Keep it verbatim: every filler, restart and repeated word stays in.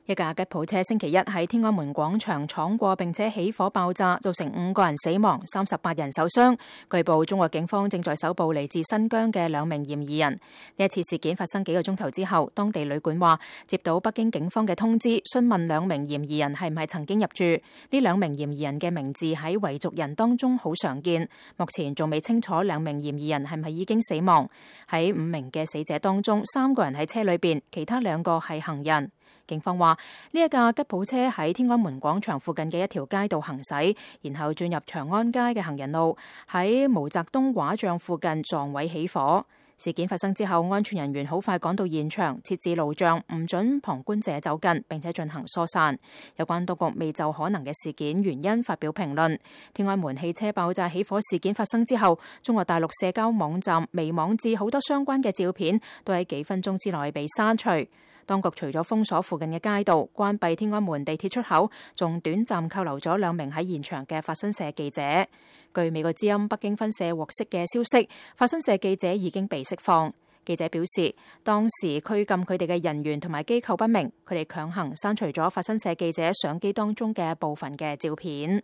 一架吉普車星期一喺天安門廣場闖過並且起火爆炸，造成五個人死亡、三十八人受傷。據報中國警方正在搜捕嚟自新疆嘅兩名嫌疑人。呢一次事件發生幾個鐘頭之後，當地旅館話接到北京警方嘅通知，詢問兩名嫌疑人係唔係曾經入住。呢兩名嫌疑人嘅名字喺維族人當中好常見，目前仲未清楚兩名嫌疑人係咪已經死亡。喺五名嘅死者當中，三個人喺車裏邊，其他兩個係行人。警方話呢一架吉普車喺天安門廣場附近嘅一條街道行駛，然後進入長安街嘅行人路，喺毛澤東畫像附近撞毀起火。事件發生之後，安全人員好快趕到現場，設置路障，唔准旁觀者走近，並且進行疏散。有關當局未就可能嘅事件原因發表評論。天安門汽車爆炸起火事件發生之後，中國大陸社交網站微網誌好多相關嘅照片都喺幾分鐘之內被刪除。當局除咗封鎖附近嘅街道，關閉天安門地鐵出口，仲短暫扣留咗兩名喺現場嘅法新社記者。據美國之音北京分社獲悉嘅消息，法新社記者已經被釋放。記者表示，當時拘禁佢哋嘅人員同埋機構不明，佢哋強行刪除咗法新社記者相機當中嘅部分嘅照片。